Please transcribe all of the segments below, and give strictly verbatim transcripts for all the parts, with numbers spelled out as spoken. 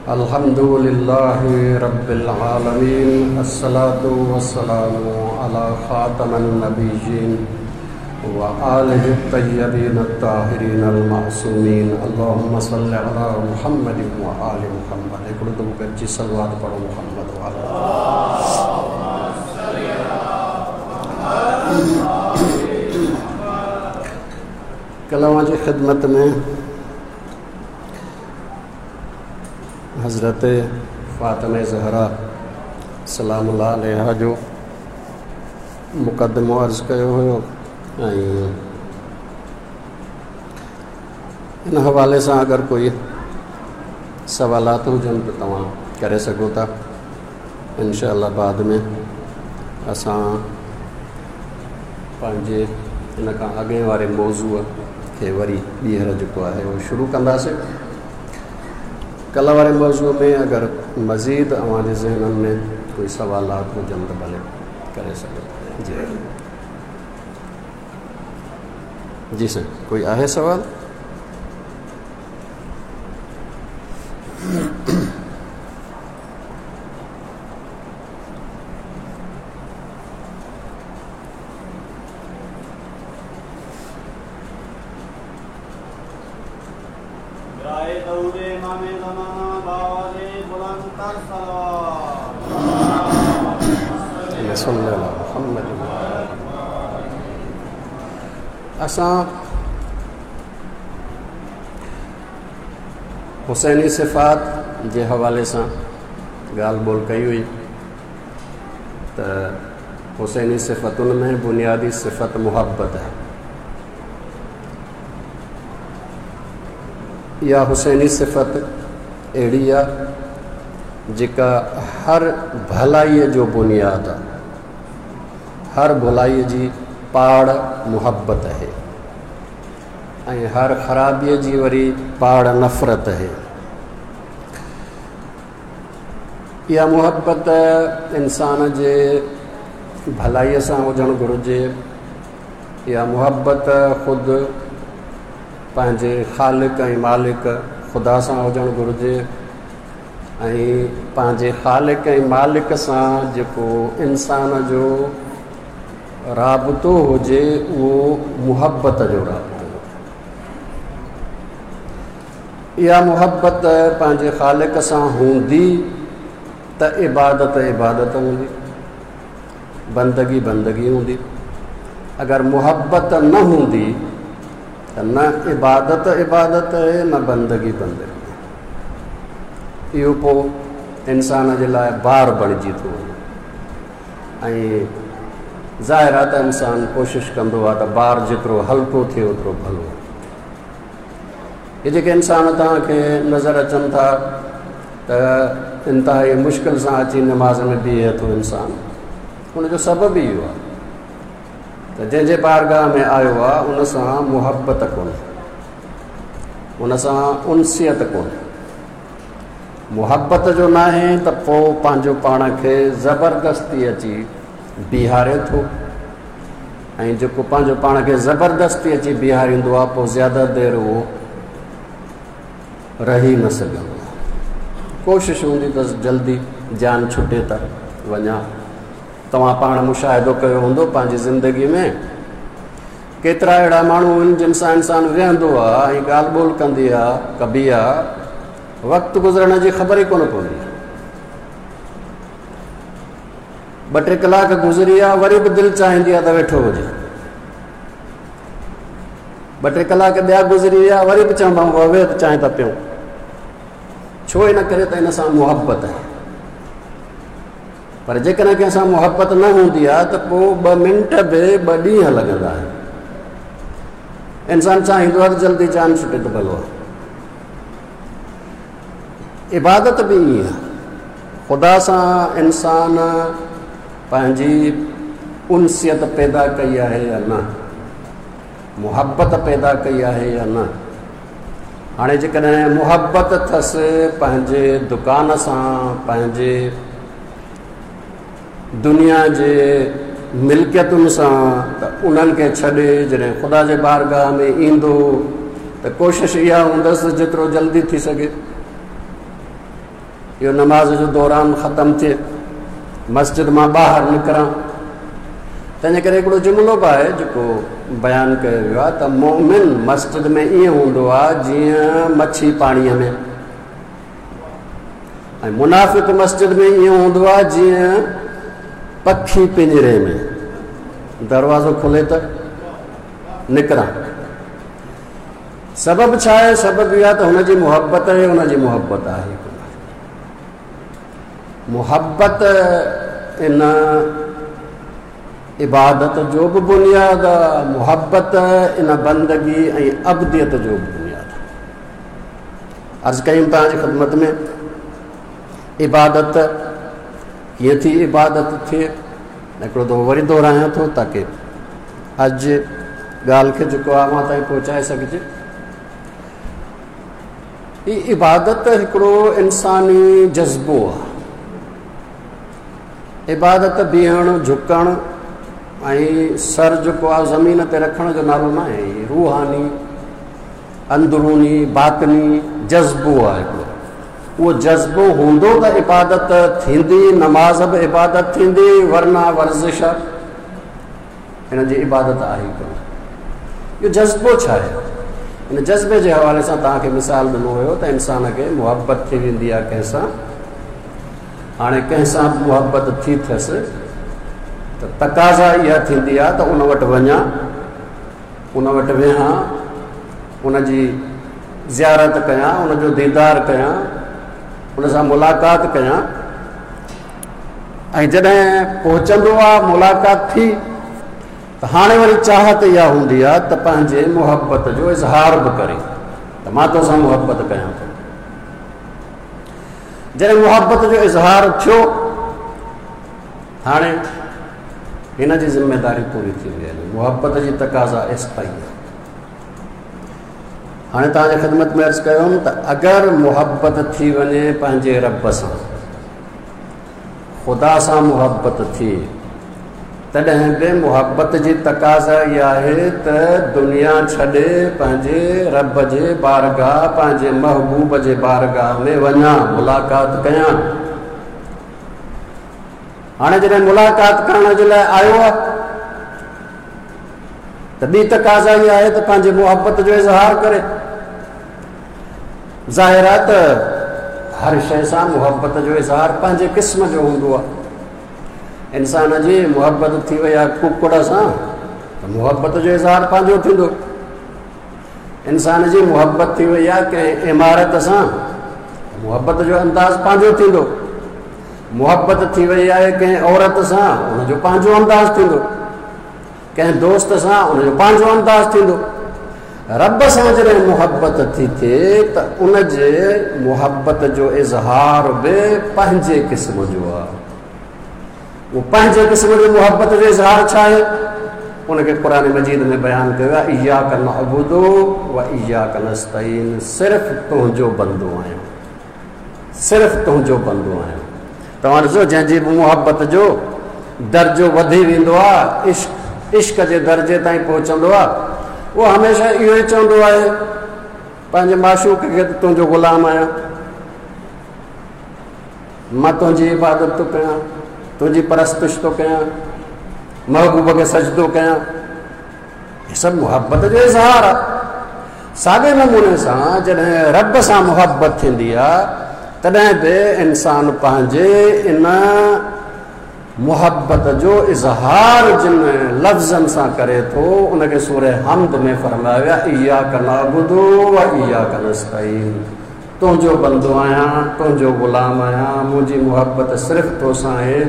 अल्हम्दुलिल्लाहि रब्बिल आलमीन, अस्सलातु वस्सलामु अला खातमन नबिय्यीन व आलिहि तय्यबीन अत्ताहिरीन अल मासूमीन। अल्लाहुम्मा सल्लि अला मुहम्मद व आलि मुहम्मद। हिकिड़ो दफ़ो गॾिजी सलवात पढ़ो मुहम्मद व आलि। कल्ह अव्हां जी ख़िदमत में हज़रत फ़ातिमा ज़हरा सलामुल्लाह अलैहा जो मुक़दमो अर्ज़ कयो हुयो ऐं इन हवाले सां अगरि कोई सवालात हुजनि त तव्हां करे सघो था। इनशा बाद में असां पंहिंजे इन खां अॻे वारे मौज़ूअ खे वरी ॿीहर जेको आहे उहो शुरू कंदासीं। कल्ह वारे मौज़ूअ में अगरि मज़ीद अव्हांजे ज़हननि में कोई सवालात हुजनि त भले करे सघो था। जी जी सर, कोई आहे सवाल? असां हुसैनी सिफ़ात जे हवाले सां ॻाल्हि ॿोल कई हुई त हुसैनी सिफ़तुनि में बुनियादी सिफ़त मुहबत आहे। इहा हुसैनी सिफ़त अहिड़ी आहे जेका हर भलाईअ जो बुनियादु आहे, हर भलाईअ जी पाड़ मुहबत आहे ऐं हर ख़राबीअ जी वरी पाड़ नफ़रत आहे। इहा मुहबत इंसान जे भलाईअ सां हुजणु घुरिजे। इहा मुहबत ख़ुदि पंहिंजे ख़ालिक ऐं मालिक ख़ुदा सां हुजणु घुरिजे ऐं पंहिंजे ख़ालिक ऐं मालिक सां जेको इंसान जो राबितो हुजे उहो मुहबत जो राबितो। इहा मुहबत पंहिंजे ख़ालिक सां हूंदी त इबादत इबादत हूंदी, बंदगी बंदगी हूंदी। अगरि मुहबत न हूंदी त न इबादत इबादत आहे न बंदगी बंदगी। इहो पोइ इंसान जे लाइ बार बणिजी थो वञे ऐं ज़ाहिर आहे त इंसान कोशिशि कंदो आहे त बार जेतिरो हल्को थिए ओतिरो भलो। इहे जेके इंसान तव्हांखे नज़र अचनि था त इंतिहाई मुश्किल सां अची नमाज़ में बीहे थो इंसान, हुनजो सबबु ई इहो आहे त जंहिंजे बारगाह में आयो आहे उन सां मुहबत कोन्हे, उन सां उनसियत कोन्हे। मुहबत जो न आहे त पोइ पंहिंजो पाण खे ज़बरदस्ती अची बीहारे थो ऐं जेको पंहिंजो पाण खे ज़बरदस्ती अची बीहारींदो आहे पोइ ज़्यादा देरि उहो रही न सघंदो आहे। कोशिशि हूंदी अथसि जल्दी जान छुटे त वञा। तव्हां पाण मुशाहिदो कयो हूंदो पंहिंजी ज़िंदगी में केतिरा अहिड़ा माण्हू आहिनि जिन सां इंसानु वेहंदो आहे ऐं ॻाल्हि ॿोल कंदी आहे कबी आहे, वक़्तु गुज़रण जी ख़बर ई कोन पवंदी आहे। ॿ टे कलाक गुज़री विया वरी बि दिलि चाहींदी आहे त वेठो हुजे। ॿ टे कलाक ॿिया गुज़री विया वरी बि चवंदा वेह त चांहि था पियूं। छो? इन करे त इन सां मुहबत आहे। पर जेकॾहिं कंहिंसां मुहबत न हूंदी आहे त पोइ ॿ मिंट बि ॿ ॾींहं लॻंदा आहिनि। इंसान चाहींदो आहे त जल्दी जान छुटे त भलो आहे। इबादत बि ईअं आहे, ख़ुदा सां इंसान पंहिंजी उनसियत पैदा कई आहे या न, मुहबत पैदा कई आहे या न। हाणे जेकॾहिं मुहबत अथसि पंहिंजे दुकान सां, पंहिंजे दुनिया जे मिल्कियतुनि सां, त उन्हनि खे छॾे जॾहिं ख़ुदा जे बारगाह में ईंदो त कोशिशि इहा हूंदसि जेतिरो जल्दी थी सघे اهو نماز جو دوران ختم ٿئي، مسجد مان ٻاهر نڪران. تنهنجي ڪري هڪڙو جملو به آهي جيڪو بيان ڪيو ويو آهي ته مومن مسجد ۾ ائين هوندو آهي جيئن مڇي پاڻيءَ ۾، ۽ منافق مسجد ۾ ائين هوندو آهي جيئن پکي پڃري ۾، دروازو کلي ته نڪران. سبب ڇا آهي؟ سبب اهو آهي ته هن جي محبت آهي، هن جي محبت آهي. محبت ان عبادت جو به بنياد آهي، محبت ان بندگي ۽ عبديت جو به بنياد آهي. عرض ڪيم توهان جي خدمت ۾ عبادت ڪيئن ٿي عبادت ٿئي، هڪڙو دفعو وري دهرايان ٿو تاڪه اڄ ڳالهه کي جيڪو آهي اوهان تائين پهچائي سگهجي. هي عبادت هڪڙو انساني جذبو آهي. عبادت بيهڻ، جهڪڻ ۽ سر جيڪو آهي زمين تي رکڻ جو نالو نه آهي. روحاني، اندروني، باطني جذبو آهي هڪڙو. اهو جذبو هوندو ته عبادت ٿيندي، نماز به عبادت ٿيندي، ورنه ورزش آهي، هن جي عبادت آهي ڪونه. اهو جذبو ڇا آهي؟ هن جذبي جي حوالي سان توهان کي مثال ڏنو هيو ته انسان کي محبت ٿي ويندي آهي ڪنهن سان. هاڻي ڪنهن سان به محبت ٿي ٿيس ته تقاضا اها ٿيندي آهي ته ان وٽ وڃان، ان وٽ ويهان، ان جي زيارت ڪيان، ان جو ديدار ڪيان، ان سان ملاقات ڪيان. ۽ جڏهن پهچندو آهي، ملاقات ٿي، ته هاڻي وري چاهت اها هوندي آهي ته پنهنجي محبت جو اظهار به ڪري ته مان تو سان محبت ڪيان ٿو. جڏهن محبت جو اظهار ٿيو، هاڻي هن جي ذميداري پوري ٿي وئي، محبت جي تقاضا ايستائين آهي. هاڻي توهان جي خدمت ۾ عرض ڪيم ته اگر محبت ٿي وڃي پنهنجي رب سان، خدا سان محبت ٿئي، تڏهن به محبت جي تقاضا اها آهي ته دنيا ڇڏي پنهنجي رب جي بارگاهه، پنهنجي محبوب جي بارگاهه ۾ وڃان، ملاقات ڪيان. هاڻي جڏهن ملاقات ڪرڻ جي لاءِ آيو آهي ته ٻي تقاضا اها آهي ته پنهنجي محبت جو اظهار ڪري. ظاهر آهي ته هر شيءِ سان محبت جو اظهار پنهنجي قسم جو هوندو آهي. انسان جي محبت ٿي وئي آهي ڪڪڙ سان ته محبت جو اظهار پنهنجو ٿيندو. انسان جي محبت ٿي وئي آهي ڪنهن عمارت سان، محبت جو انداز پنهنجو ٿيندو. محبت ٿي وئي آهي ڪنهن عورت سان، ان جو پنهنجو انداز ٿيندو. ڪنهن دوست سان، ان جو پنهنجو انداز ٿيندو. رب سان جڏهن محبت ٿي ٿئي ته ان جي محبت جو اظهار به پنهنجي قسم جو آهي. اهو پنهنجي قسم جو محبت جو اظهار ڇا آهي؟ ان کي قرآن مجيد ۾ بيان ڪيو آهي، اياڪ نعبد و اياڪ نستعين، صرف تنهنجو بندو آهيان، صرف تنهنجو بندو آهيان. توهان ڏسو جنهن جي به محبت جو درجو وڌي ويندو آهي، عشق عشق جي درجي تائين پهچندو آهي، اهو هميشه اهو ئي چوندو آهي پنهنجي معشوق کي ته تنهنجو غلام آهيان، مان تنهنجي عبادت ٿو ڪيان، تنهنجي پرستش ٿو ڪيان، محبوب کي سجدو ڪيان. هي سڀ محبت جو اظهار آهي. ساڳئي نموني سان جڏهن رب سان محبت ٿيندي آهي تڏهن به انسان پنهنجي ان محبت جو اظهار جن لفظن سان ڪري ٿو ان کي سوره حمد ۾ فرمايو ويو آهي، اياڪ نعبد و اياڪ نستعين، تنهنجو بندو آهيان، تنهنجو غلام آهيان، منهنجي محبت صرف تو سان آهي،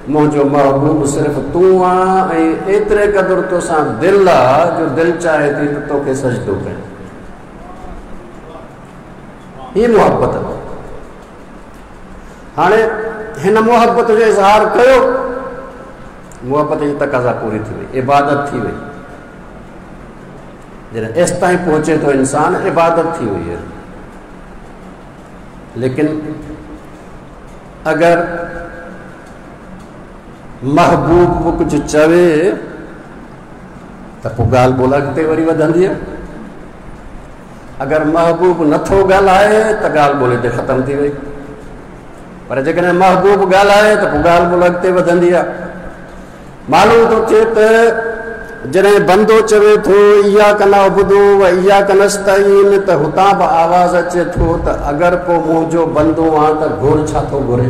منهنجو محبوب صرف تون آهين، ۽ ايتري قدر تو سان دل آهي جو دل چاهي ٿي ته توکي سجدو ڪيان. هي محبت. هاڻي هن محبت جو اظهار ڪيو، محبت جي تقاضا پوري ٿي وئي، عبادت ٿي وئي. جڏهن ايستائين پهچي ٿو انسان، عبادت ٿي وئي آهي. ليڪن اگر محبوب به ڪجهه چوي ته پوءِ ڳالهه ٻولهه اڳتي وري وڌندي آهي. اگر محبوب نٿو ڳالهائي ته ڳالهه ٻولهه هتي ختم ٿي وئي. पर जेकॾहिं महबूब ॻाल्हाए त पोइ ॻाल्हि ॿोल अॻिते वधंदी आहे। मालूम थो थिए त जॾहिं बंदो चवे थो इयाक नअबुदु व इयाक नस्तईन त हुतां बि आवाज़ अचे थो त अगरि को मुंहिंजो बंदो आहे त घुर छा थो घुरे,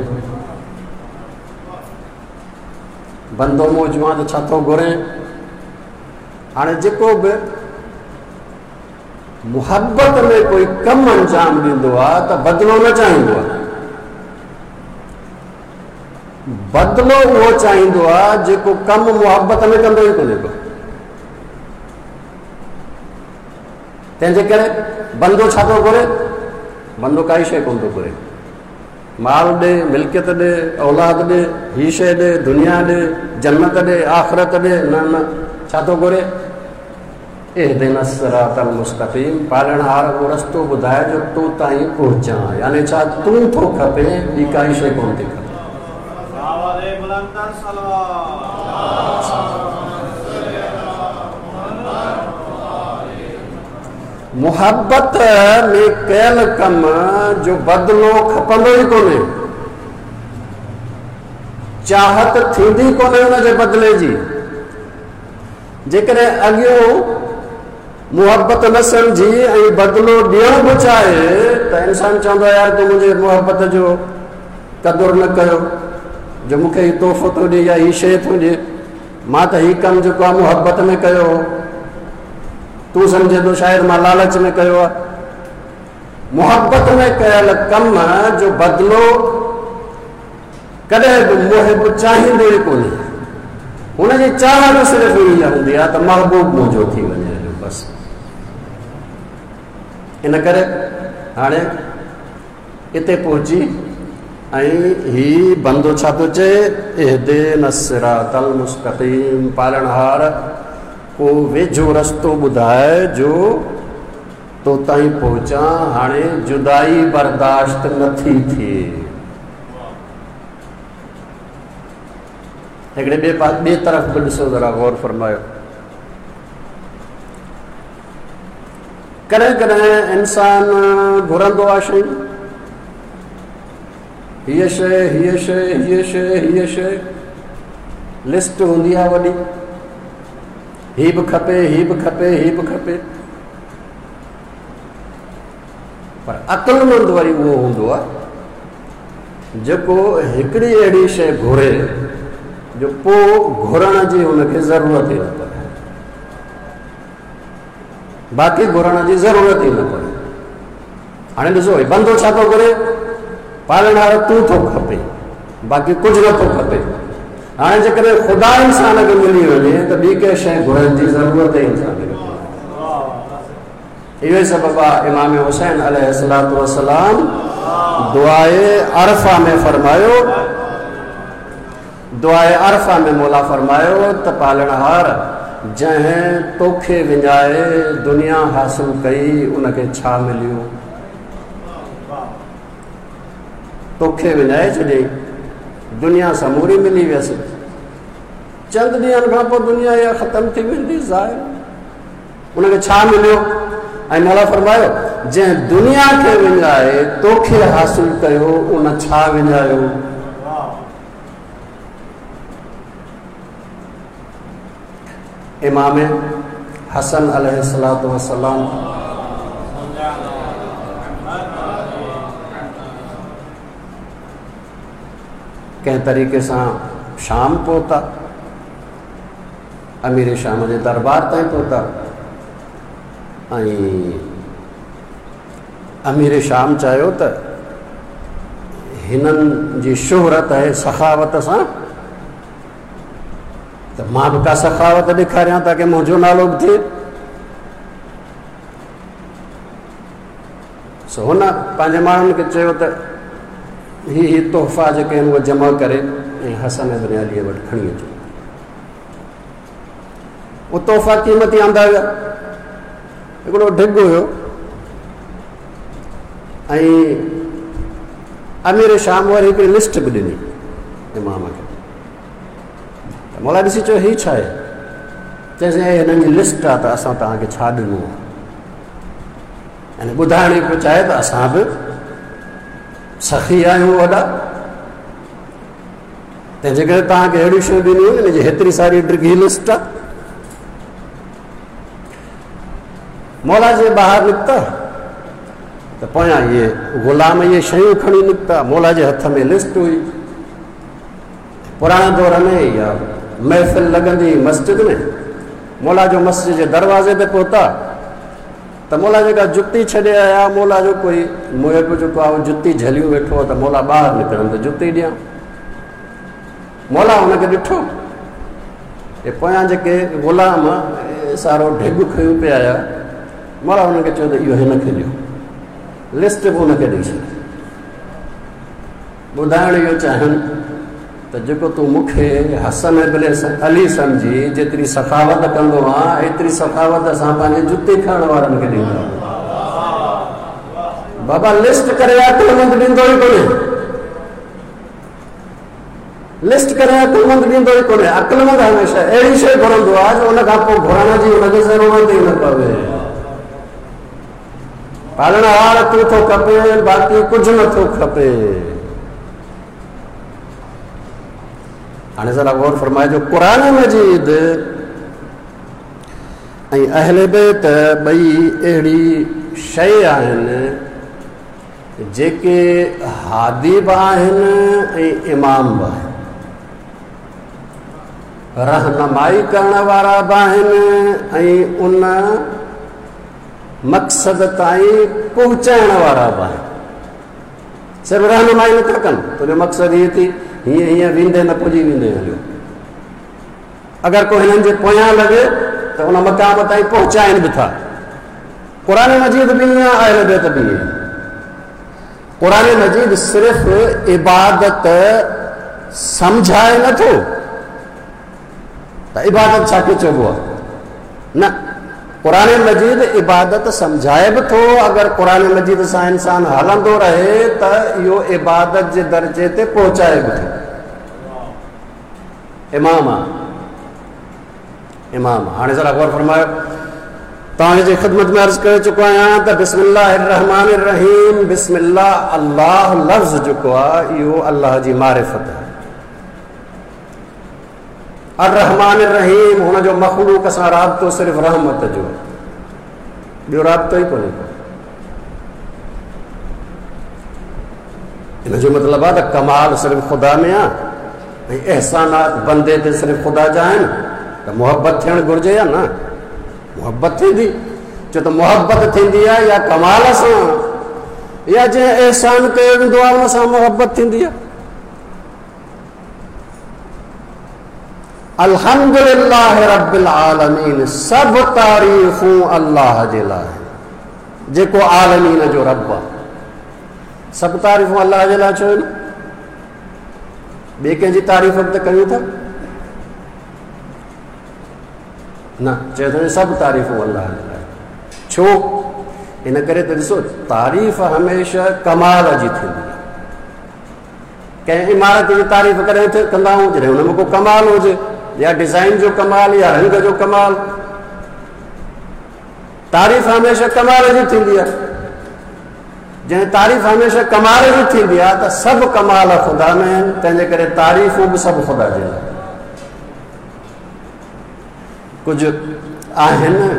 बंदो मुंहिंजो आहे त छा थो घुरे। हाणे जेको बि मुहबत में कोई कमु अंजाम ॾींदो आहे त बदिलो न चाहींदो आहे, बदिलो उहो चाहींदो आहे जेको कमु मुहबत में कंदो ई कोन्हे को। तंहिंजे करे बंदो छा थो घुरे, बंदो काई शइ कोन थो घुरे, माल ॾे, मिल्कियत ॾे, औलाद ॾे, हीअ शइ ॾे, दुनिया ॾे, जन्नत ॾे, आख़िरत ॾे, न न, छा थो घुरे? इहदिना सिरातल मुस्तक़ीम, पालणहार उहो रस्तो ॿुधाए जो तो ताईं पहुचां, यानी छा तूं थो खपे, ॿी काई शइ कोन थी खपे। मुहबत में कयल कम जो बदिलो खपंदो ई कोन्हे, चाहत थींदी कोन्हे हुनजे बदिले जी। जेकॾहिं अॻियों मुहबत न सम्झी ऐं बदिलो ॾियणु बि चाहे त इंसान चवंदो आहे यार तूं मुंहिंजे मुहबत जो क़दुरु न कयो, जो मूंखे हीउ तोहफ़ो थो ॾिए या हीअ शइ थो ॾिए, मां त हीउ कमु जेको आहे मुहबत में कयो हो, तूं सम्झे थो शायदि मां लालच में कयो आहे। मुहबत में कयल कम जो बदिलो कॾहिं बि मुहिब चाहींदो ई कोन्हे, हुनजी चाह बि सिर्फ़ु इहा हूंदी आहे त महबूब मुंहिंजो थी वञे बसि। इन करे हाणे हिते पहुची ऐं हीउ बंदो छा थो चए, इहदिना सिरातल मुस्तक़ीम, पालणहार को वेझो रस्तो ॿुधाए जो तो ताईं पहुचां, हाणे जुदाई बर्दाश्त नथी थिए। हिकिड़े ॿिए ॿिए तरफ़ बि ॾिसो ज़रा गौर फरमायो, कॾहिं कॾहिं इंसान घुरंदो आहे शयूं, हीअ शइ हीअ शइ हीअ शइ हीअ शइ, लिस्ट हूंदी आहे वॾी, हीअ बि खपे हीअ बि खपे हीअ बि खपे, पर अक़लमंद वरी उहो हूंदो आहे जेको हिकिड़ी अहिड़ी शइ घुरे जो पोइ घुरण जी हुनखे ज़रूरत ई न पवे, बाक़ी घुरण जी ज़रूरत ई न पवे। हाणे ॾिसो बंदो छा थो घुरे, पालणहार तूं थो खपे, बाक़ी कुझु नथो खपे। हाणे जेकॾहिं ख़ुदा इंसान खे मिली वञे त ॿी कंहिं शइ घुरण जी ज़रूरत ई इंसान खे। इहो ई सबबु आहे इमाम हुसैन अलैहिस्सलातु वस्सलाम दुआए अरफा में फरमायो, दुआए अरफा में मौला फरमायो त पालणहार जंहिं तोखे विञाए दुनिया हासिल कई उनखे छा मिलियो, तोखे विञाए छॾियईं दुनिया समूरी मिली वियसि, चंद ॾींहनि खां पोइ दुनिया इहा ख़तमु थी वेंदी ज़ाहिर, उनखे छा मिलियो? ऐं मौला फरमायो जंहिं दुनिया खे विञाए तोखे हासिल कयो उन छा विञायो? इमाम हसन अलैहिस्सलातु वस्सलाम कंहिं तरीक़े सां शाम पहुता, अमीर शाम जे दरबार ताईं पहुता ऐं अमीर शाम चाहियो त हिननि जी शोहरत आहे सखावत सां, त मां बि का सखावत ॾेखारियां ताकि मुंहिंजो नालो बि थिए। सो हुन पंहिंजे माण्हुनि खे चयो त ही ही तोहफ़ा जेके आहिनि उहे जमा करे ऐं हसन इब्न अलीअ वटि खणी अचो। उहे तोहफ़ा क़ीमती आंदा विया, हिकिड़ो ढिग हुयो ऐं अमीर शाम वरी हिकिड़ी लिस्ट बि ॾिनी इमाम खे। मौला ॾिसी चयो हीअ छा आहे? चयोसीं हिननि जी लिस्ट आहे त असां तव्हांखे छा ॾिनो आहे, यानी ॿुधाइण पियो चाहे त असां बि सखी आहियूं वॾा। तंहिंजे करे तव्हांखे अहिड़ियूं शयूं ॾिनियूं आहिनि, हिन जी हेतिरी सारी डिघी लिस्ट आहे। मौला जे ॿाहिरि निकिता त पोयां इहे ग़ुलाम इहे शयूं खणी निकिता, मौला जे हथ में लिस्ट हुई। पुराणे दौर में इहा महफ़िल लॻंदी मस्जिद में, मौला जो मस्जिद जे दरवाज़े ते पहुता त मौला जेका जुती छॾे आया, मौला जो कोई मुहिब जेको आहे उहो जुती झलियूं वेठो आहे त मौला ॿाहिरि निकिरनि त जुती ॾियां। मौला हुनखे ॾिठो, हे पोयां जेके ग़ुलाम सारो ढिग खयूं पिया आया, मौला हुनखे चयो त इहो हिन खे ॾियो, लिस्ट बि हुनखे ॾेई छॾ। ॿुधाइणु इहो चाहिनि त जेको तूं मूंखे हसन इब्न अली सम्झी जेतिरी सखावत कंदो आहियाँ, एतिरी सखावत असां पंहिंजे जुती खणण वारनि खे ॾींदा आहियूं। बाबा लिस्ट करे अक़लमंद ॾींदो ई कोन्हे, लिस्ट करे अक़लमंद ॾींदो ई कोन्हे। अक़लमंद हमेशह अहिड़ी शइ घुरंदो आहे जो उन खां पोइ घुरण जी हुनखे ज़रूरत ई न पवे। पालणहार तूं थो खपे, बाक़ी कुझु नथो खपे। हाणे ज़रा गौर फरमाइजो, क़ुरान मजीद ऐं अहले बैत ॿई अहिड़ी शइ आहिनि जेके हादी बि आहिनि ऐं इमाम बि आहिनि, रहनुमाई करण वारा बि आहिनि ऐं उन मक़सद ताईं पहुचाइण वारा बि आहिनि। सिर्फ़ु रहनुमाई नथा कनि, तुंहिंजो मक़सदु हीअ थी हीअं हीअं वेंदे न पुॼी वेंदे हलियो। अगरि को हिननि जे पोयां लॻे त उन मक़ाम ताईं पहुचाइनि बि था। क़ुरान मजीद बि ईअं, अहले बैत बि ईअं। क़ुरान मजीद सिर्फ़ु इबादत सम्झाए नथो त इबादत छाखे चइबो आहे, न, क़ुरान मजीद इबादत सम्झाए बि थो। अगरि क़ुरान मजीद सां इंसान हलंदो रहे त इहो इबादत जे दर्जे ते पहुचाए बि थो। इमाम आहे, इमाम। हाणे ज़रा गौर फरमायो, तव्हांजी ख़िदमत में अर्ज़ करे चुको आहियां त बिस्मिल्लाहिर्रहमानिर्रहीम, बिस्मिल्लाह अल्लाह लफ़्ज़ जेको आहे इहो अल्लाह जी मारिफ़त आहे। अर्रहमान रहीम हुनजो मख़लूक सां राबितो सिर्फ़ु रहमत जो, ॿियो राबितो ई कोन्हे को। इन जो मतिलबु आहे त कमाल सिर्फ़ु ख़ुदा में आहे ऐं अहसानात बंदे ते सिर्फ़ु ख़ुदा जा आहिनि, त मुहबत थियणु घुरिजे या न? मुहबत थींदी, छो त मुहबत थींदी आहे या कमाल सां या जंहिं अहसान कयो वेंदो आहे उन सां मुहबत थींदी आहे। अल्हम्दुलिल्लाह रब्बिल आलमीन, सभु तारीफ़ूं अल्लाह जे लाइ, जेको आलमीन जो रब आहे। सभु तारीफ़ूं अल्लाह जे लाइ छो आहिनि? ॿिए कंहिंजी तारीफ़ बि त कयूं था न, चए थो सभु तारीफ़ूं अल्लाह जे लाइ। छो? इन करे त ॾिसो तारीफ़ हमेशह कमाल जी थींदी आहे। कंहिं इमारत जी तारीफ़ करे कंदा आहियूं जॾहिं हुन में को कमाल हुजे, या डिज़ाइन जो कमाल या रंग जो कमाल। तारीफ़ हमेशह कमाल जी थींदी आहे। जंहिं तारीफ़ हमेशह कमाल जी थींदी आहे त सभु कमाल ख़ुदा में आहिनि, तंहिंजे करे तारीफ़ूं बि सभु ख़ुदा जे लाइ। कुझु आहिनि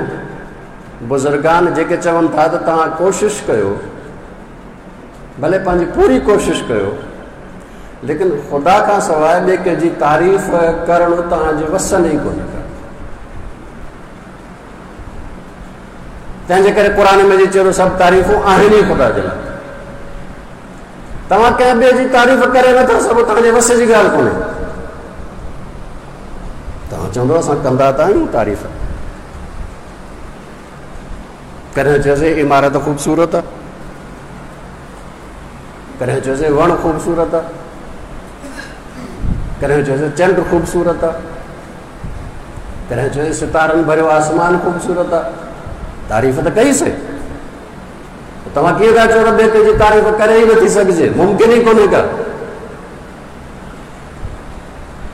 बुज़ुर्गान जेके चवनि था त तव्हां कोशिशि कयो, भले पंहिंजी पूरी कोशिशि कयो, लेकिन ख़ुदा खां सवाइ ॿिए कंहिंजी तारीफ़ करणु तव्हांजे वस में ई कोन्हे। तंहिंजे करे क़ुरान में चयो सभु तारीफ़ूं आहिनि ई ख़ुदा जे लाइ। तव्हां कंहिं ॿिए जी तारीफ़ करे नथा सघो, तव्हांजे वस जी ॻाल्हि कोन्हे। तव्हां चवंदो असां कंदा त आहियूं तारीफ़। कॾहिं चयोसीं इमारत ख़ूबसूरत आहे, कॾहिं चयोसीं वण ख़ूबसूरत आहे, कॾहिं चयोसीं चंड ख़ूबसूरत आहे, कॾहिं चयोसीं सितारनि भरियो आसमान ख़ूबसूरत आहे। तारीफ़ त कईसीं, तव्हां कीअं था चओ त ॿिए कंहिंजी तारीफ़ करे ई नथी सघिजे, मुमकिन ई कोन्हे का।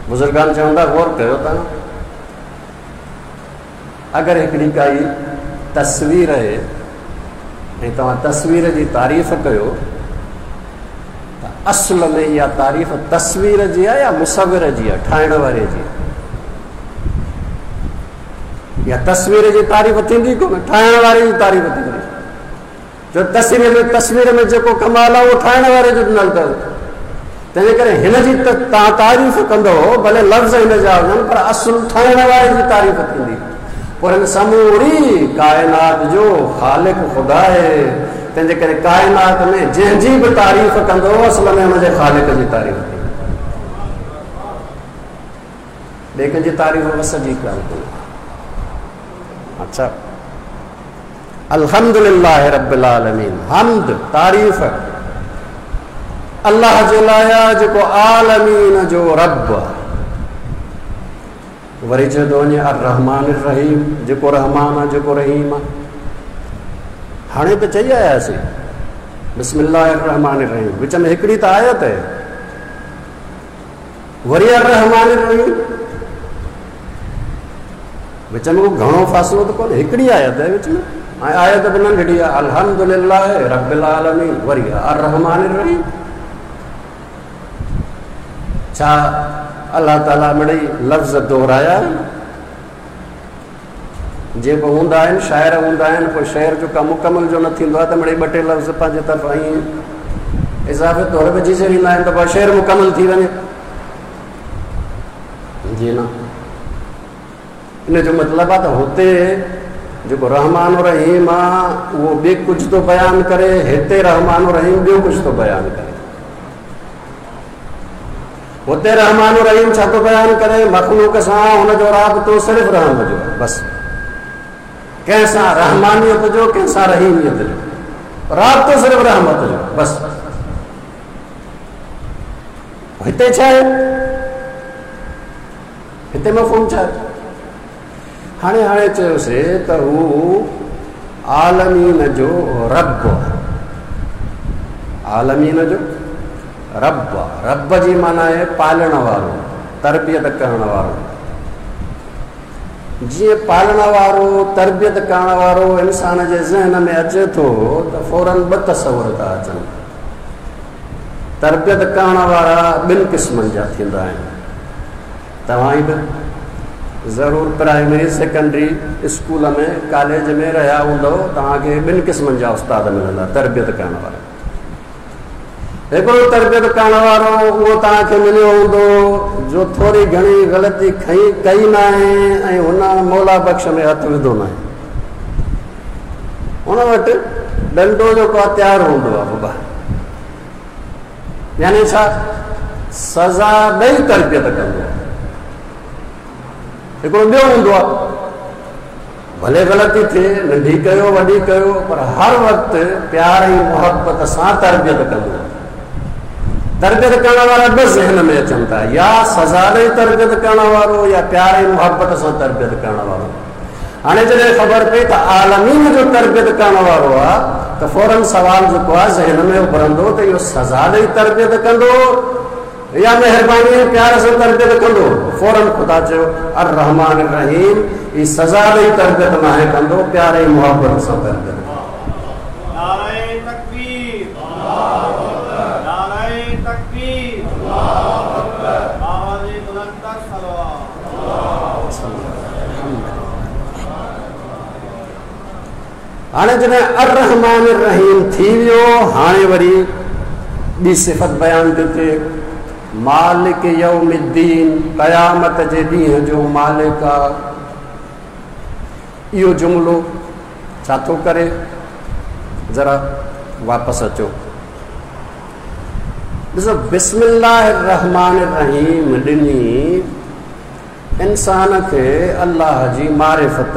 बुज़ुर्गान चवंदा गौर कयो तव्हां, अगरि हिकिड़ी काई तस्वीर आहे ऐं तव्हां तस्वीर जी तारीफ़ कयो त असुल में इहा तारीफ़ तस्वीर जी आहे या मुसविर जी आहे, ठाहिण वारे जी आहे? या तस्वीर जी तारीफ़ थींदी कोन, ठाहिण वारे जी तारीफ़ थींदी। जो तस्वीर में तस्वीर में जेको कमाल आहे उहो ठाहिण वारे जो ॾिनल अथव। तंहिंजे करे हिन जी त तव्हां तारीफ़ कंदव, भले लफ़्ज़ हिन जा हुजनि, पर असुल ठाहिण वारे जी तारीफ़ थींदी। पोइ हिन समूरी काइनात जो ख़ालिक़ ख़ुदा आहे, तंहिंजे करे काइनात में जंहिंजी बि तारीफ़ कंदो असल में हुनजे ख़ालिक़ जी तारीफ़ थींदी, ॿिए कंहिंजी तारीफ़ वस जी ॻाल्हि कोन्हे। अच्छा, अल्हम्दुलिल्लाह रब्बिल आलमीन, हम्द तारीफ़ अल्लाह जे लाइ आहे जेको आलमीन जो रब आहे। वरी चयो थो वञे अर्रहमान अर्रहीम, जेको रहमान आहे जेको रहीम आहे। हाणे त चई आयासीं बिस्मिल्लाह अर्रहमान अर्रहीम, विच में हिकिड़ी त आयत आहे, वरी अर्रहमान अर्रहीम, विच में को घणो फ़ासिलो त कोन्हे, हिकिड़ी आयत आहे विच में, ऐं आयत बि नंढड़ी आहे, अल्हम्दुलिल्लाह रब्बिल आलमीन, वरी अर्रहमान अर्रहीम। छा अल्लाह ताला मिड़ई लफ़्ज़ दोहराया आहिनि? जेको हूंदा आहिनि शाइर हूंदा आहिनि, पोइ शेर जो कमु मुकमल जो न थींदो आहे त मिड़ई ॿ टे लफ़्ज़ पंहिंजे तरफ़ां ईअं इज़ाफ़े तौर विझी छॾींदा आहिनि त पोइ शेर मुकमल थी वञे। जी न, इन जो मतिलबु आहे त हुते जेको रहमान रहीम आहे उहो ॿिए कुझु थो बयानु करे, हिते रहमान रहीम ॿियो कुझु थो बयानु करे। हुते रहमान रहीम छा थो बयानु करे? मख़लूक सां हुनजो राबितो सिर्फ़ु रहम जो आहे, बसि कंहिंसां रहमानियत जो, कंहिंसां रहीमियत जो राबितो सिर्फ़ु रहमत जो, बसि। हिते छा आहे? हिते मफ़हूम छा आहे? हाणे हाणे चयोसीं त हू आलमीन जो रब आहे, आलमीन जो रब आहे। रब जी माना आहे पालण वारो, तरबियत करण वारो। जीअं पालण वारो तरबियत करण वारो इंसान जे ज़हन में अचे थो त फ़ौरन ॿ तसवुर था अचनि। तरबियत करण वारा ॿिनि क़िस्मनि जा थींदा आहिनि। तव्हां ई बि ज़रूर प्राइमरी सेकेंडरी स्कूल में कॉलेज में रहिया हूंदव, तव्हांखे ॿिनि क़िस्मनि जा उस्ताद मिलंदा तरबियत करण वारा। हिकिड़ो तरबियत करण वारो उहो तव्हांखे मिलियो हूंदो जो थोरी घणी ग़लती खई कई न आहे ऐं हुन मौला बख़्श में हथु विधो न आहे, हुन वटि ॾंडो जेको आहे तयारु हूंदो आहे बाबा, यानी छा सज़ा ॾेई तरबियत कंदो आहे। हिकिड़ो ॿियो हूंदो आहे भले ग़लती थिए, नंढी कयो वॾी कयो, पर हर वक़्तु प्यार ऐं मुहबत सां तरबियत कंदो आहे। तरबियत करण वारा ॿ ज़हन में अचनि था, या सज़ा ॾेई तरबियत करण वारो या प्यार ऐं मुहबत सां तरबियत करण वारो। हाणे जॾहिं ख़बर पई त आलमीन जो तरबियत करण वारो आहे त फ़ौरन सवाल जेको आहे ज़हन में उभरंदो त इहो सज़ा ॾेई तरबियत कंदो या महिरबानी ऐं प्यार सां तरबियत कंदो? फ़ौरन ख़ुदा चयो अर्रहमान रहीम, ही सज़ा ॾेई तरबियत नाहे कंदो, प्यार ऐं मुहबत सां तरबियत। हाणे जॾहिं अर्रहमान रहीम थी वियो, हाणे वरी ॿी सिफ़त बयानु थी थिए, मालिक यौमिद्दीन, क़यामत जे ॾींहं जो मालिक आहे। इहो जुमिलो छा थो करे? ज़रा वापसि अचो, ॾिसो बिस्मिल्लाह रहमान रहीम ॾिनी इंसान खे अल्लाह जी मारिफ़त,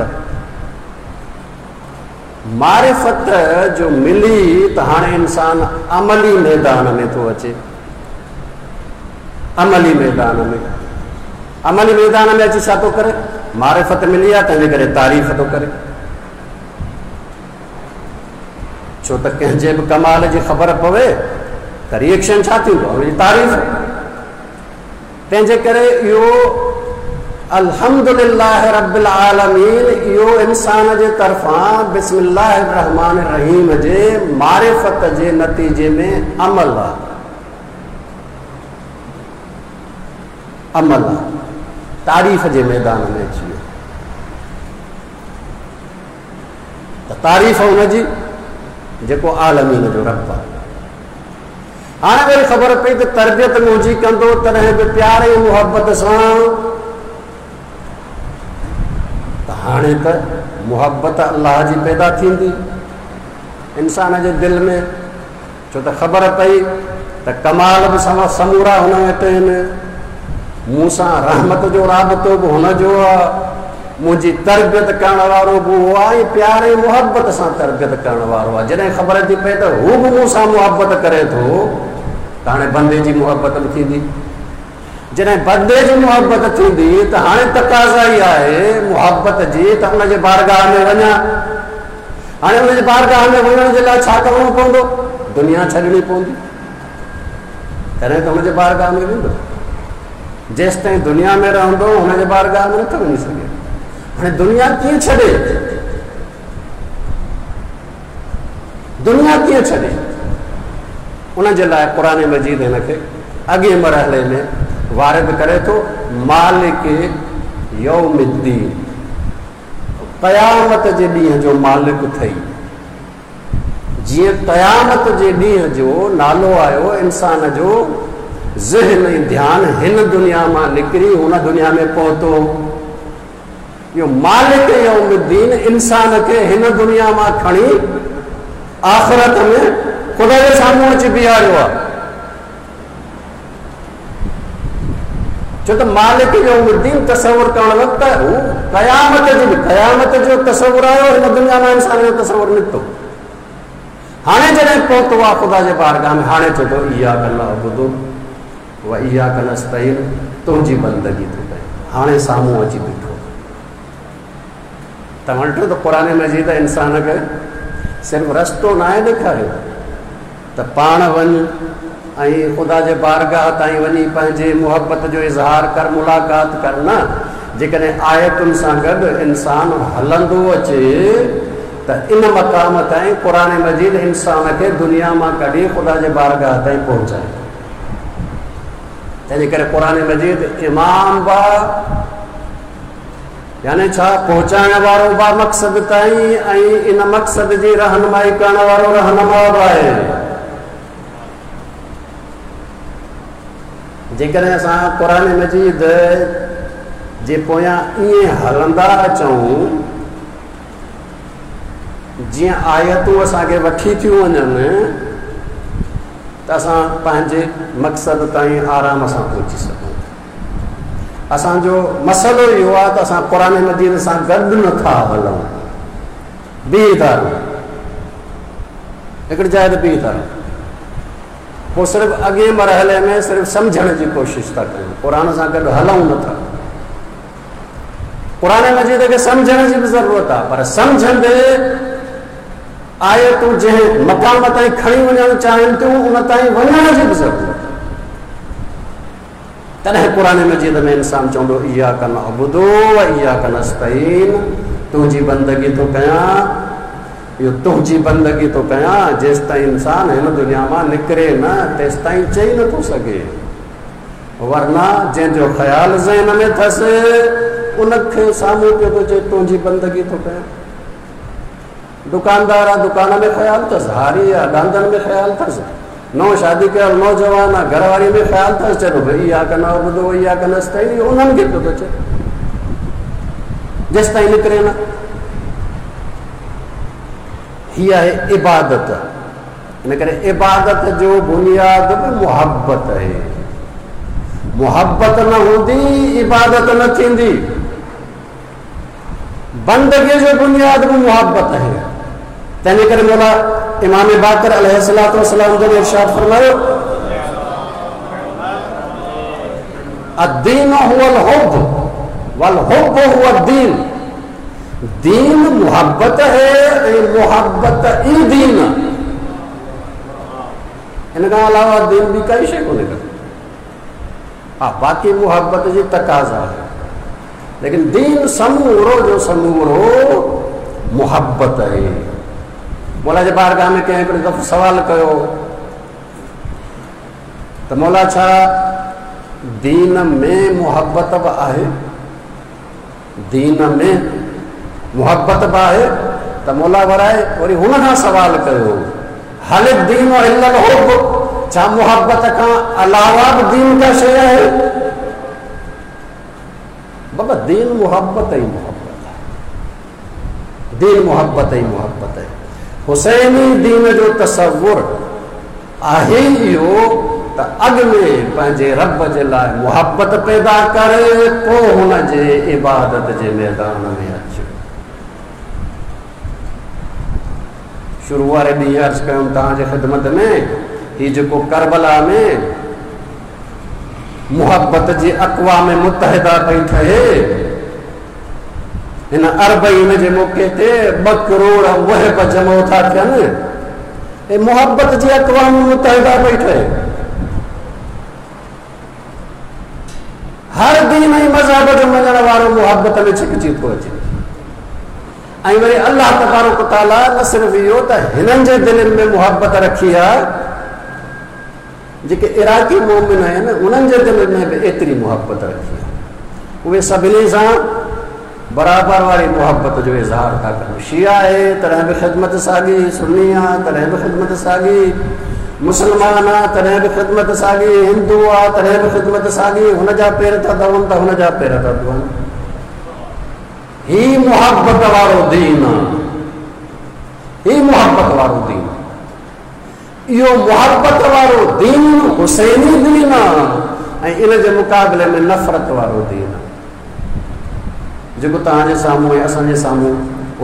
मारिफ़त जो मिली त हाणे इंसान अमली मैदान में थो अचे। अमली मैदान में, अमली मैदान में अची छा थो करे? मारिफ़त मिली आहे तंहिंजे करे तारीफ़ थो करे। छो त कंहिंजे बि कमाल जी ख़बर पवे त रिएक्शन छा थींदो आहे? हुनजी तारीफ़। तंहिंजे करे इहो अल्हम्दुलिल्लाह रब्बिल आलमीन इहो इंसान जे तरफ़ां बिस्मिल्लाह रहमान रहीम जे मारिफ़त जे नतीजे में अमल आहे। अमल आहे, तारीफ़ जे मैदान में अची वियो। त तारीफ़ हुनजी जेको आलमीन जो रब आहे। हाणे वरी ख़बर पई त तरबियत मुंहिंजी कंदो तॾहिं बि प्यार ऐं मुहबत सां, त हाणे त मुहबत अल्लाह जी पैदा थींदी इंसान जे दिलि में, छो त ख़बर पई त कमाल बि समूरा हुन वटि आहिनि, मूंसां रहमत जो राबितो बि हुनजो आहे, मुंहिंजी तरबियत करण वारो बि उहो आहे ऐं प्यार ऐं मुहबत सां तरबियत करण वारो आहे। जॾहिं ख़बर थी पए त हू बि मूंसां मुहबत करे थो, त हाणे बंदे जी मुहबत बि थींदी। जॾहिं बंदे जी मुहबत थींदी त हाणे तक़ाज़ा ई आहे मुहबत जी त हुनजे बारगाह में वञा। हाणे हुनजे बारगाह में वञण जे लाइ छा करिणो पवंदो? दुनिया छॾिणी पवंदी, तॾहिं त हुनजे बारगाह में वेंदो। जेसि ताईं दुनिया में रहंदो हुनजे बारगाह में नथो वञी सघे। हाणे दुनिया कीअं छॾे? दुनिया कीअं छॾे? उन जे लाइ क़ुरान मजीद हिन खे अॻिए मरहले में वारिद करे थो, मालिक यौमिद्दीन, क़यामत जे ॾींहं जो मालिक थई। जीअं क़यामत जे ॾींहं जो नालो आयो, इंसान जो ज़हन ऐं ध्यानु हिन दुनिया मां निकिरी हुन दुनिया में पहुतो। इहो मालिक यौमिद्दीन इंसान खे हिन दुनिया मां खणी आख़िरत में ख़ुदा जे साम्हूं अची बीहारियो आहे। छो त मालिक यौमिद्दीन तसवुर करण वक़्तु हू क़यामत जी बि क़यामत जो तसवुर आयो, हिन दुनिया मां इंसान जो तसवुर निकितो। हाणे जॾहिं पहुतो आहे ख़ुदा जे बारगाह में, हाणे चए थो इय्याक नअबुदु व इय्याक नस्तईन, तुंहिंजी बंदगी थो कयां। हाणे साम्हूं अची बीठो। तव्हां ॾिठो त क़ुरान मजीद इंसान खे सिर्फ़ु रस्तो न आहे ॾेखारियो त पाण वञ ऐं ख़ुदा जे बारगाह ताईं वञी पंहिंजे मुहबत जो इज़हार कर, मुलाक़ात कर। न, जेकॾहिं आयतुनि सां गॾु इंसान हलंदो अचे त इन मक़ाम ताईं क़ुरान मजीद इंसान खे दुनिया मां कढी ख़ुदा जे बारगाह ताईं पहुचाए। तंहिंजे करे क़ुरान मजीद इमाम बा, यानी छा पहुचाइण वारो बि मक़सद ताईं ऐं इन मक़सद जी रहनुमाई करण वारो रहनुमा बि आहे। जेकॾहिं असां क़ुरान मजीद जे पोयां ईअं हलंदा अचूं जीअं आयतूं असांखे वठी थियूं वञनि, त असां पंहिंजे मक़सद ताईं आराम सां पहुची सघूं। असांजो मसइलो इहो आहे त असां क़ुरान मजीद सां गॾु नथा हलूं, बीह था रहूं, हिकिड़ी जाइ ते बीह था रहूं। पोइ सिर्फ़ु अॻिए मरहले में सिर्फ़ु सम्झण जी कोशिशि था कयूं, क़ुरान सां गॾु हलूं नथा। क़ुरान मजीद खे सम्झण जी बि ज़रूरत आहे, पर सम्झंदे आयतूं जंहिं मक़ाम ताईं खणी वञणु चाहिनि थियूं उन ताईं वञण जी बि ज़रूरत आहे। तॾहिं क़ुरान मजीद में इंसान चवंदो इय्याक नअबुदु व इय्याक नस्तईन, तुंहिंजी बंदगी थो कयां, इहो तुंहिंजी बंदगी थो कयां। जेसि ताईं इंसान हिन दुनिया मां निकिरे न तेसि ताईं चई नथो सघे, वरना जंहिंजो ख़्यालु ज़हन में अथसि उनखे साम्हूं पियो थो चए तुंहिंजी बंदगी थो कयां। दुकानदार आहे, दुकान में ख़्यालु अथसि, हारी आहे, ॾांदनि में ख़्यालु अथसि, नओं शादी कयल नौजवान आहे, घरवारी में ख़्यालु अथसि, चए थो भई इय्याक नअबुदु व इय्याक नस्तईन, इहो उन्हनि खे पियो थो चए जेसि ताईं निकिरे न। हीअ आहे इबादत। इन करे इबादत जो बुनियाद बि मुहबत आहे। मुहबत न हूंदी इबादत न थींदी। बंदगीअ जो बुनियाद बि मुहबत आहे। तंहिंजे करे मौला इमाम बाक़िर अलैहिस्सलातु वस्सलाम जन इरशाद फरमायो, अद्दीन हुवल हुब्ब वल हुब्ब हुव दीन। दीन मुहब्बत है ऐं मुहब्बत ई दीन। इन खां अलावा दीन बि काई शइ कोन्हे का। हा, बाक़ी मुहब्बत जी तक़ाज़ा आहे, लेकिन दीन समूरो जो समूरो मुहब्बत आहे। मौला जे बारगाह में कंहिं हिकिड़ो दफ़ो सवालु कयो त मौला छा दीन में मुहबत बि आहे, दीन में मुहबत बि आहे। त मौला वराए वरी हुन खां सवाल कयो, हल दीन इल्लल हुब, छा मुहबत खां अलावा बि दीन का शइ आहे? बाबा दीन मुहबत ई मुहबत आहे, दीन मुहबत ई मुहबत आहे। हुसैनी दीन जो तसवुर आहे इहो त अॻु में पंहिंजे रब जे लाइ मुहबत पैदा करे, पोइ हुन जे इबादत जे मैदान में अचो। शुरू वारे ॾींहुं अर्ज़ कयुमि तव्हांजे ख़िदमत में, हीउ जेको करबला में मुहबत जी अक़वाम मुतहिदा पई ठहे, हिन अरबईन जे मौक़े ते ॿ करोड़ मुहिब जमो था थियनि, ऐं मुहबत जी अक़वाम मुतहिदा पई ठहे। हर दीन ऐं मज़हब जो मञण वारो मुहबत में छिकिजी थो अचे। ऐं वरी अलाह तबारक ताला न सिर्फ़ु इहो त हिननि जे दिलनि में मुहबत रखी आहे, जेके इराकी मोमिन आहिनि उन्हनि जे दिलनि में बि एतिरी मुहबत रखी आहे। उहे सभिनी सां बराबरि वारी मुहबत जो इज़हार था कनि। शिया आहे तॾहिं बि ख़िदमत साॻी, सुन्नी आहे तॾहिं बि ख़िदमत साॻी, मुसलमान आहे तॾहिं बि ख़िदमत साॻी, हिंदू आहे तॾहिं बि ख़िदमत साॻी, हुनजा पेर था धोअनि त हुनजा पेर था धोअनि। ही मुहबत वारो दीन आहे, ही मुहबत वारो दीन। इहो मुहबत वारो दीन हुसैनी दीन आहे ऐं इन जे मुक़ाबले में नफ़रत वारो दीन आहे, जेको तव्हांजे साम्हूं ऐं असांजे साम्हूं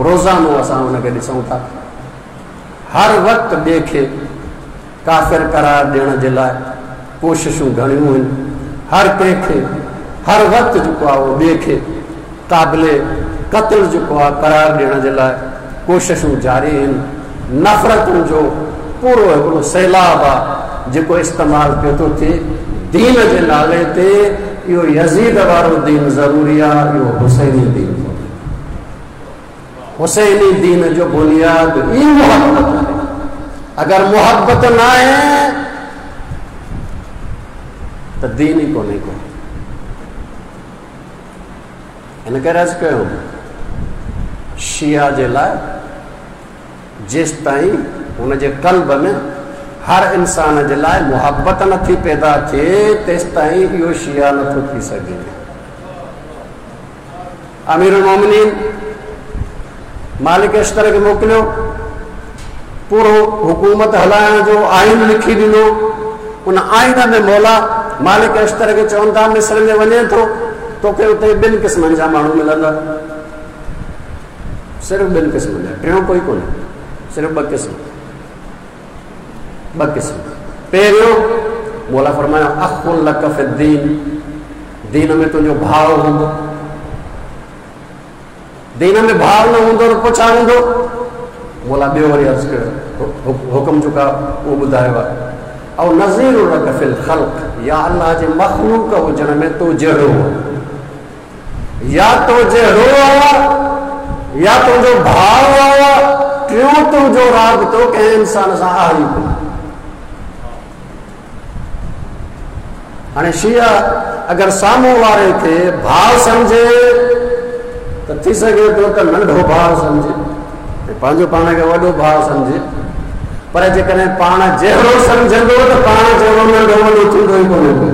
रोज़ानो असां हुनखे ॾिसूं था। हर वक़्तु ॿिए खे काफ़िर करार ॾियण जे लाइ कोशिशूं घणियूं आहिनि, हर कंहिंखे हर वक़्तु जेको आहे उहो ॿिए खे क़ाबिले क़त्ल जेको आहे करार ॾियण जे लाइ कोशिशूं जारी आहिनि। नफ़रतुनि जो पूरो हिकिड़ो सैलाब आहे जेको इस्तेमालु पियो थो थिए दीन जे नाले ते। इहो यज़ीद वारो दीन ज़रूरी आहे, इहो हुसैनी दीन कोन्हे। हुसैनी दीन जो बुनियाद ई मुहबत आहे। अगरि मुहबत न आहे त दीन ई कोन्हे को। हिन करे अर्ज़ु कयो शिया जे लाइ जेसि ताईं हुनजे क़ल्ब में हर इंसान जे लाइ मुहबत नथी पैदा थिए, तेसि ताईं इहो शिया नथो थी सघे। अमीरुल मोमिनीन मालिक अश्तर खे मोकिलियो, पूरो हुकूमत हलाइण जो आइन लिखी ॾिनो। उन आइन में मौला मालिक अश्तर खे चवनि था मिस्र में वञे थो तोखे उते ॿिनि क़िस्मनि जा माण्हू मिलंदा, सिर्फ़ु ॿिनि क़िस्मनि जा, टियों कोई कोन्हे, सिर्फ़ु ॿ क़िस्म, ॿ क़िस्म। पहिरियों मौला फरमायो अख़ुन लक फ़िद्दीन, दीन में तुंहिंजो भाउ हूंदो। दीन में भाउ न हूंदो त पोइ छा हूंदो? मौला ॿियो वरी अर्ज़ु कयो, हुकुम जेको आहे उहो ॿुधायो आहे, ऐं नज़ीर लक फ़िल ख़ल्क़, या अलाह जे मख़लूक हुजण में तो जहिड़ो आहे, या तो जहिड़ो आहे या तुंहिंजो भाउ आहे, टियों तुंहिंजो राबितो कंहिं इंसान सां आहे ई कोन। हाणे शिया अगरि साम्हूं वारे खे भाउ सम्झे त थी सघे थो त नंढो भाउ सम्झे ऐं पंहिंजो पाण खे वॾो भाउ सम्झे, पर जेकॾहिं पाण जहिड़ो सम्झंदो त पाण जहिड़ो नंढो वॾो थींदो ई कोन्हे को।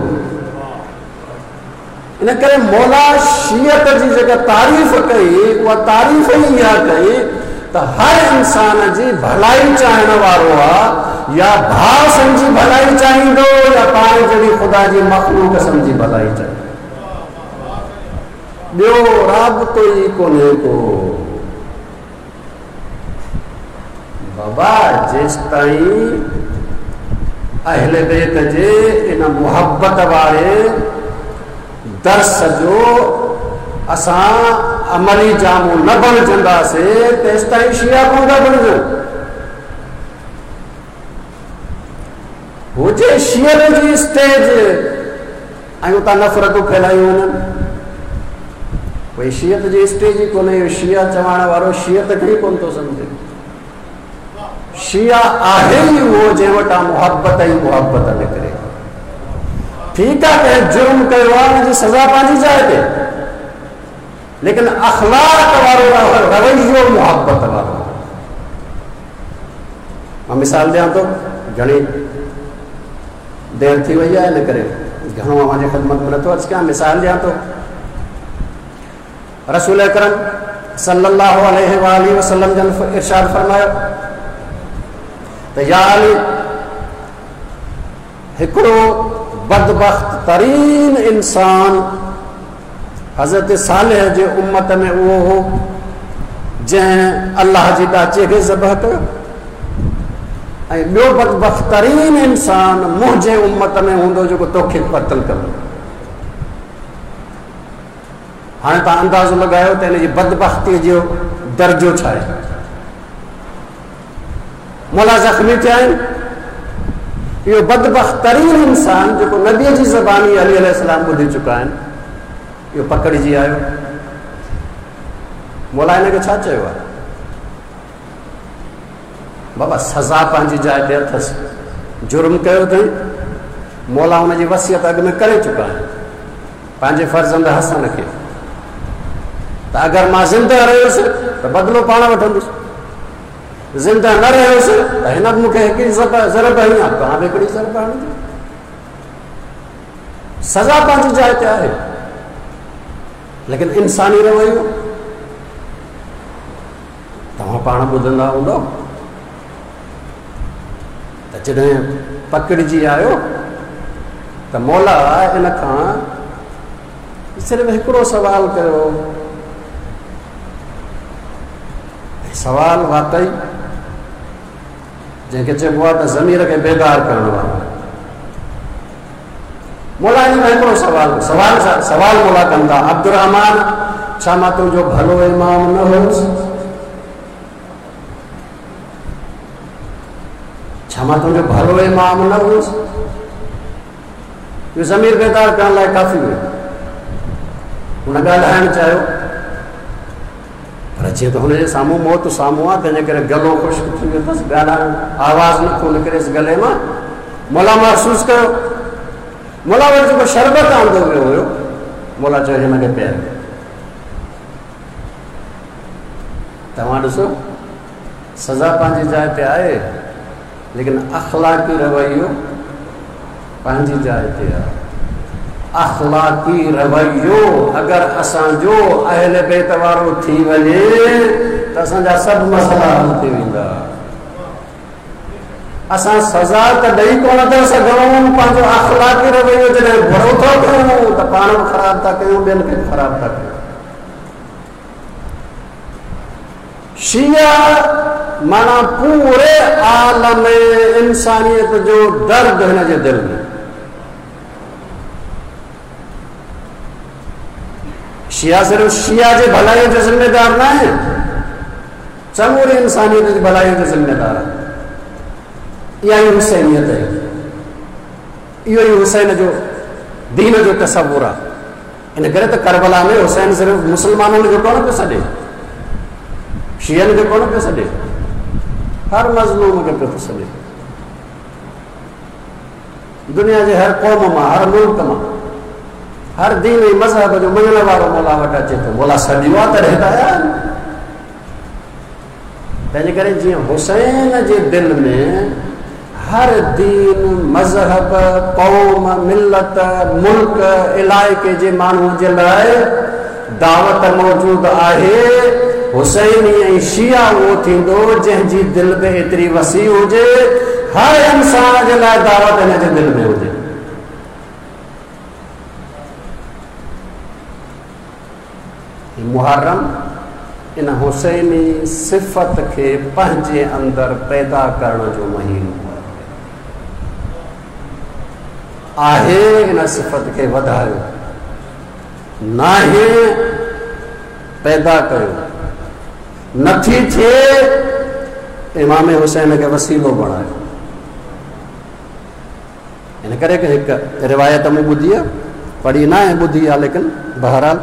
इन करे मौला शियत जी जेका तारीफ़ कई उहा तारीफ़ ई इहा कई त हर इंसान जी भलाई चाहिण वारो आहे, या भाउ सम्झी भलाई चाहींदो या पाण जहिड़ी ख़ुदा जी मख़लूक सम्झी भलाई चाहींदो, ॿियो राबितो ई कोन्हे को। बाबा जेसि ताईं अहले बैत जे इन मुहबत वारे दर्स जो असां अमली जामो न बणिजंदासीं तेसि ताईं शिया कोन था बणिजूं। हुजे शियल जी स्टेज ऐं उतां नफ़रतूं फैलायूं वञनि, भई शियत जी स्टेज ई कोन्हे। शिया चवण वारो शियत खे ई कोन थो सम्झे। शिया आहे ई उहो जंहिं वटां मुहबत ई मुहबत निकिरे। ठीकु आहे, कंहिं जुर्म कयो आहे हुनजी सज़ा पंहिंजी जाइ ते, लेकिन अख़लाक वारो रवैयो मुहबत वारो। मां मिसाल ॾियां थो, घणी देरि थी वई आहे, इन करे घणो अव्हांजी ख़िदमत में नथो अर्ज़ु कयां। मिसाल ॾियां थो, रसूल अकरम सल्लल्लाहु अलैहि वालैहि वसल्लम जन इरशाद फरमायो त या अली, हिकिड़ो बदबख्त तरीन इंसान हज़रत सालेह जे उम्मत में उहो हो जंहिं अल्लाह जी ॾाचे खे ज़बह कयो, ऐं ॿियो बदबख्त तरीन इंसान मुंहिंजे उम्मत में हूंदो जेको तोखे क़तल कंदो। हाणे तव्हां अंदाज़ो लॻायो त हिन जी बदबख़्तीअ जो दर्जो छा आहे। मौला ज़ख़्मी थिया आहिनि, इहो बदबख़्त तरीन इंसान जेको नबीअ जी ज़बानी अली अलैहिस्सलाम ॿुधी चुका आहिनि, इहो पकड़िजी आयो। मौला हिन खे छा चयो आहे? बाबा सज़ा पंहिंजी जाइ ते अथसि, जुर्म कयो अथई, मौला हुनजी वसियत अॻु में करे चुका आहिनि पंहिंजे फर्ज़ंद हसन खे, त अगरि मां ज़िंदा रहियुसि त बदिलो पाण वठंदुसि, ज़िंदा न रहियुसि त हिन बि मूंखे हिकिड़ी ज़रब हणी आहे, तव्हां बि हिकिड़ी ज़रब हणंदो। सज़ा पंहिंजी जाइ ते आहे, लेकिन इंसानी रवैयो तव्हां पाण ॿुधंदा हूंदव त जॾहिं पकड़िजी आयो त मौला इन खां सिर्फ़ु हिकिड़ो सवाल कयो। सवाल वाकई जंहिंखे चइबो आहे त ज़मीर खे बेदार करणु वारो। मौला इन खां हिकिड़ो सवाल सवाल सवाल मौला कनि था, अब्दुर्रहमान छा मां तुंहिंजो भलो इमाम न हुयुसि? छा मां तुंहिंजो भलो इमाम न हुयुसि? इहो ज़मीर बेदार करण लाइ काफ़ी हुयो। हुन ॻाल्हाइणु चाहियो, पर जीअं त हुनजे साम्हूं मौत साम्हूं आहे, तंहिंजे करे गलो ख़ुश्क थी वियो अथसि, ॻाल्हाइण आवाज़ नथो निकिरेसि गले मां। मौला महसूसु कयो, मौला वटि जेको शरबत आंदो वियो हुयो, मौला चयो हिन खे पीआरियो। तव्हां ॾिसो सज़ा पंहिंजी जाइ ते आहे, लेकिन अख़लाक़ी रवैयो पंहिंजी जाइ ते आहे। अख़लाक़ी रवैयो अगरि असांजो अहल बैत वारो थी वञे त असांजा सभु मसइला हल थी वेंदा। असां सज़ा त ॾेई कोन था सघूं, पंहिंजो अख़लाक़ी रवैयो जॾहिं बुरो थो कयूं त पाण बि ख़राबु था कयूं, ॿियनि खे बि ख़राबु था कयूं। शिया माना पूरे आलम इंसानियत जो दर्द हिन जे दिलि में। शिया सिर्फ़ शिया जे भलाई जो ज़िम्मेदार न आहे, समूरी इंसानियत जी भलाई जो ज़िम्मेदार आहे। इहा ई हुसैनियत आहे, इहो ई हुसैन जो दीन जो तसवुर आहे। इन करे त करबला में हुसैन सिर्फ़ मुसलमाननि जो कोन पियो सॾे, शियनि खे कोन पियो सॾे, हर मज़लूम खे पियो थो सॾे। दुनिया जे हर क़ौम मां, हर मुल्क मां, हर दीन ऐं मज़हब जो मञण वारो मौला वटि अचे थो। मौला सॾियो आहे तॾहिं त आया आहिनि। तंहिंजे करे जीअं हुसैन जे दिलि में हर दीन, मज़हब, क़ौम, मिलत, मुल्क, इलाइक़े जे माण्हूअ जे लाइ दावत मौजूदु आहे, हुसैनी ऐं शिया उहो थींदो जंहिंजी दिलि में एतिरी वसी हुजे, हर इंसान जे लाइ दावत हिन जे दिलि में हुजे। मुहर्रम इन हुसैनी सिफ़त खे पंहिंजे अंदरि पैदा करण जो महीनो आहे। इन सिफ़त खे वधायो नाहे, पैदा कयो नथी थिए, इमाम हुसैन खे वसीलो बणायो। इन करे हिकु रिवायत मूं ॿुधी आहे, पढ़ी न आहे, ॿुधी आहे, लेकिन बहरहाल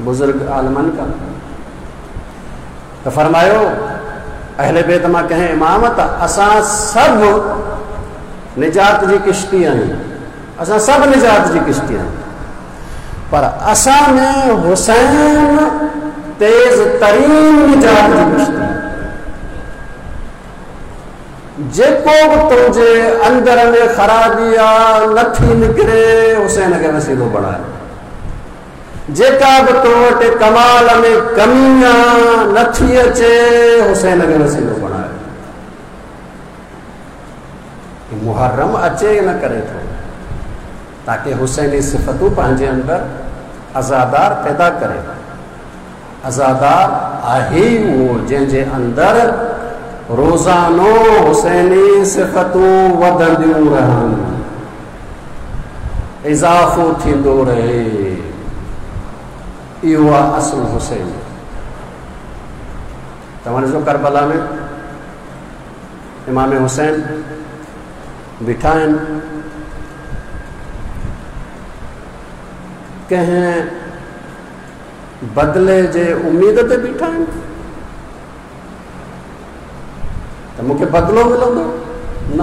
बुज़ुर्ग आलमनि खां त फरमायो अहले बैत मां कंहिं इमाम त असां सभु निजात जी किश्ती आहियूं, असां सभु निजात जी किश्ती आहियूं, पर असां में हुसैन तेज़ तरीन निजात जी किश्ती। जेको बि तुंहिंजे अंदर में ख़राबी आहे नथी निकिरे, हुसैन खे वसीलो बणाए। जेका बि तो वटि कमाल में कमी आहे नथी अचे, हुसैन खे वसीलो बणाए। मुहर्रम अचे न करे थो, ताकि हुसैनी सिफ़तूं पंहिंजे अंदरि अज़ादार पैदा करे। अज़ादार आहे उहो जंहिंजे अंदरि रोज़ानो हुसैनी सिफ़तूं वधंदियूं रहनि, इज़ाफ़ो थींदो रहे। इहो आहे असुलु हुसैन। तव्हां ॾिसो करबला में इमाम हुसैन बीठा आहिनि, कंहिं बदिले जे उमेद ते बीठा आहिनि त मूंखे बदिलो मिलंदो न,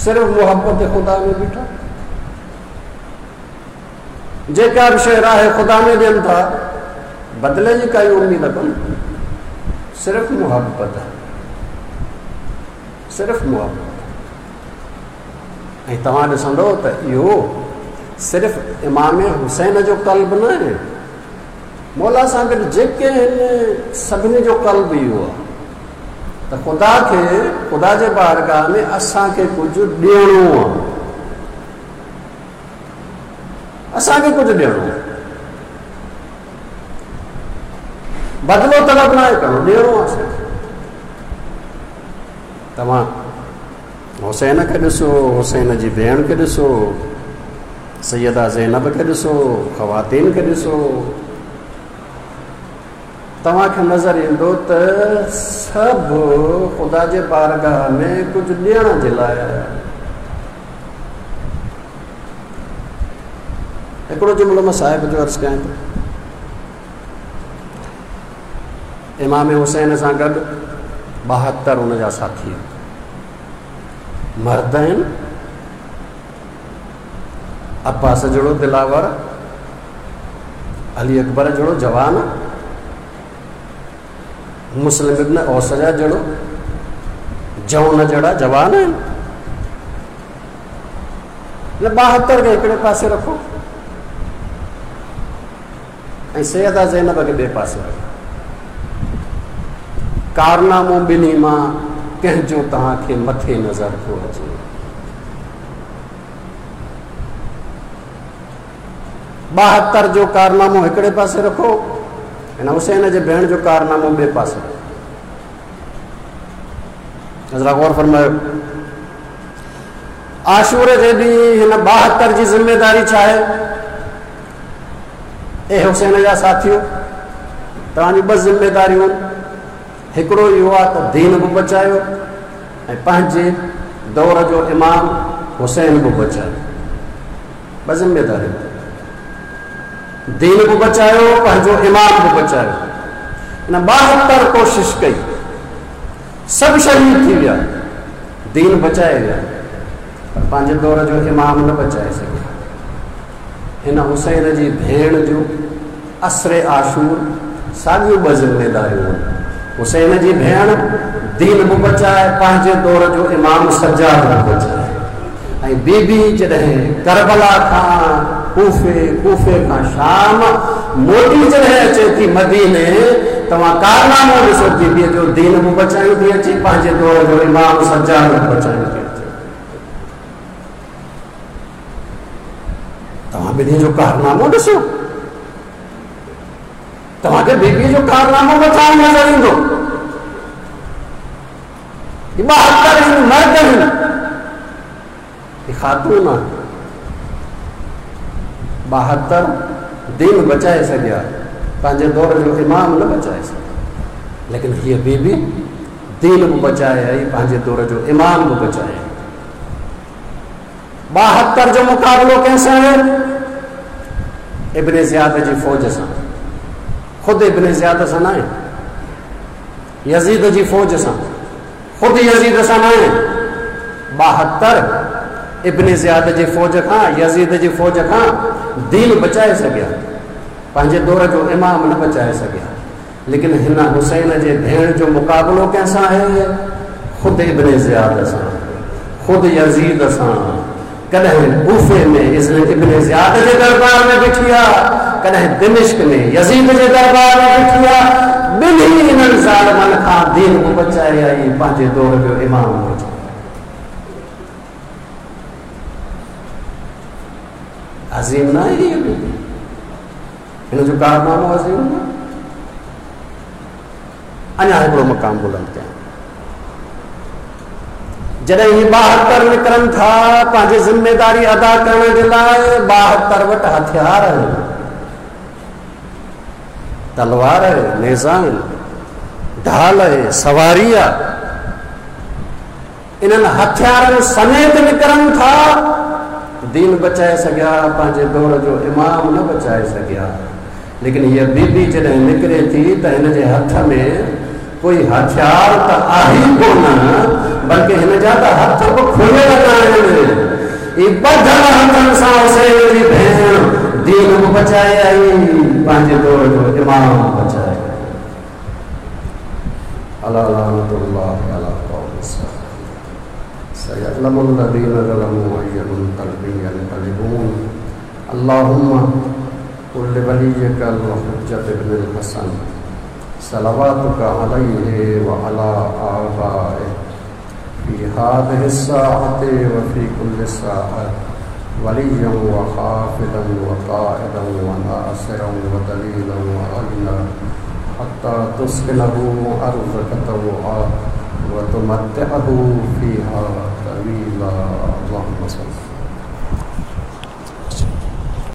सिर्फ़ मोहबत ख़ुदा में बीठा। जेका बि शइ राह ख़ुदा में ॾियनि था, बदिले जी काई उमेद कोन्हे, सिर्फ़ मोहबत, सिर्फ़ मोहबत। ऐं तव्हां ॾिसंदव त इहो सिर्फ़ इमाम हुसैन जो क़ल्ब न आहे, मौला सां गॾु जेके आहिनि सभिनी जो क़ल्ब इहो आहे त ख़ुदा खे, ख़ुदा जे बारगाह में असांखे कुझु ॾियणो आहे, असांखे कुझु ॾियणो आहे, बदिलो तलब न आहे करिणो, ॾियणो आहे असांखे। तव्हां हुसैन खे ॾिसो, हुसैन जी भेण खे ॾिसो, सैयदा ज़ैनब खे ॾिसो, ख़वातीन खे ॾिसो, तव्हांखे नज़र ईंदो त सभु ख़ुदा जे बारगाह में कुझु ॾियण जे लाइ आया। हिकिड़ो जुमिलो मां साहिब जो अर्ज़ु कयां थो, इमाम हुसैन सां गॾु ॿाहतरि हुनजा साथी मर्द आहिनि, अब्बास जहिड़ो दिलावर, अली अकबर जहिड़ो जवान, मुस्लिम इब्न औसजा जहिड़ो जौन जहिड़ा जवान आहिनि। ॿाहतरि खे हिकिड़े पासे रखो ऐं सैयदा ज़ैनब खे ॿिए पासे रखो। कारनामो ॿिन्ही मां कंहिंजो तव्हांखे मथे नज़र थो अचे? ॿाहतरि जो कारनामो हिकिड़े पासे रखो, हिन हुसैन जे भेण जो कारनामो ॿिए पासे रखो। ज़रा गौर फरमायो, आशूर जे ॾींहुं हिन ॿाहतरि जी ज़िम्मेदारी छा आहे? ए हुसैन जा साथियो, तव्हांजी ॿ ज़िम्मेदारियूं आहिनि। हिकिड़ो इहो आहे त दीन बि बचायो ऐं पंहिंजे दौर जो इमाम हुसैन बि बचायो। ॿ ज़िम्मेदारियूं, दीन बि बचायो, पंहिंजो इमाम बि बचायो। हिन ॿाहतरि कोशिश कई, सभु शहीद थी विया, दीन बचाए विया, पर पंहिंजे दौर जो इमाम न बचाए सघिया। हिन हुसैन जी भेण जो असर आशूर साॻियूं ॿ ज़िम्मेदारियूं आहिनि। हुसैन जी भेण दीन बि बचाए, पंहिंजे दौर जो इमाम सज्जाद बि बचाए। ऐं बीबी जॾहिं करबला खां कूफे, कूफे खां शाम मोटी जॾहिं अचे थी मदीने, तव्हां कारनामो ॾिसो बीबीअ जो, दीन बि बचायूं थी अचे, पंहिंजे दौर जो इमाम सज्जाद बि बचायूं थी अचे। तव्हां ॿिन्ही जो कारनामो ॾिसो, तव्हांखे बीबीअ जो कारनामो मथां नज़र ईंदो। ॿाहतरि आहिनि मर्द आहिनि, ख़ातून आहे, ॿाहतरि दीन बचाए सघिया, पंहिंजे दौर जो इमाम न बचाए सघिया। लेकिन हीअ बीबी दीन बि बचाए आई, पंहिंजे दौर जो इमाम बि बचाए आई। ॿाहतरि जो मुक़ाबिलो कंहिंसां आहे? इब्न ज़ियाद जी फ़ौज सां। ख़ुदि इब्न ज़ियाद सां न आहे, यज़ीद जी फ़ौज सां, ख़ुदि यज़ीद सां न आहे। ॿाहतरि इब्न ज़ियाद जी फ़ौज खां, यज़ीद जी फ़ौज खां दीन बचाए सघिया, पंहिंजे दौर जो इमाम न बचाए सघिया। लेकिन हिन हुसैन जे भेण जो मुक़ाबिलो कंहिंसां आहे? ख़ुदि इब्न ज़ियाद सां, ख़ुदि यज़ीद सां। कॾहिं कूफे में इब्न ज़ियाद जे दरबार में बीठी आहे, कॾहिं दिमिश्क में यज़ीद जे दरबार में बीठी आहे। ॿिन्ही इन्हनि ज़ालिमनि खां दीन बि बचाए आई, पंहिंजे दौर जो इमाम बचाए। अज़ीम न आहे हिन जो कारनामो, अज़ीम न। अञा हिकिड़ो मक़ाम बुलंद कयां। जॾहिं हीअ ॿाहतरि निकिरनि था पंहिंजी ज़िम्मेदारी अदा करण जे लाइ, ॿाहतरि वटि हथियार आहिनि, तलवार आहे, नेज़ा आहिनि, ढाल आहे, सवारी आहे। इन्हनि हथियारनि समेत निकिरनि था, दीन बचाए सघिया, पंहिंजे दौर जो इमाम न बचाए सघिया। लेकिन हीअ बीबी जॾहिं निकिरे थी त हिन जे हथ में कोई हथियार त आहे कोन, बल्कि हिन जा त हथ बि खुलियल आहिनि। ही ॿधल हथनि सां हुसैन जी भेण दीन बि बचाए आई, पंहिंजे दौर जो इमाम बचाए। अला लानतुल्लाहि अला क़ौम सयअलमु अल्लज़ीना ज़लमू अय्य मुनक़लबिन यनक़लिबून। अल्लाहुम्मा कुल वलिय्यिका अल-हुज्जत इब्न अल-हसन सलवातुका अलैहि व अला आबाइहि फ़ी हाज़िहि अस्साअति व फ़ी कुल्लि साअत वलिय्यन व हाफ़िज़न व क़ाइदन व नासिरन व दलीलन व अय्ना हत्ता तुस्किनहु अर्ज़क तौआ व तुमत्तिअहु फ़ीहा तवीला। अल्लाहुम्मा सल्लि।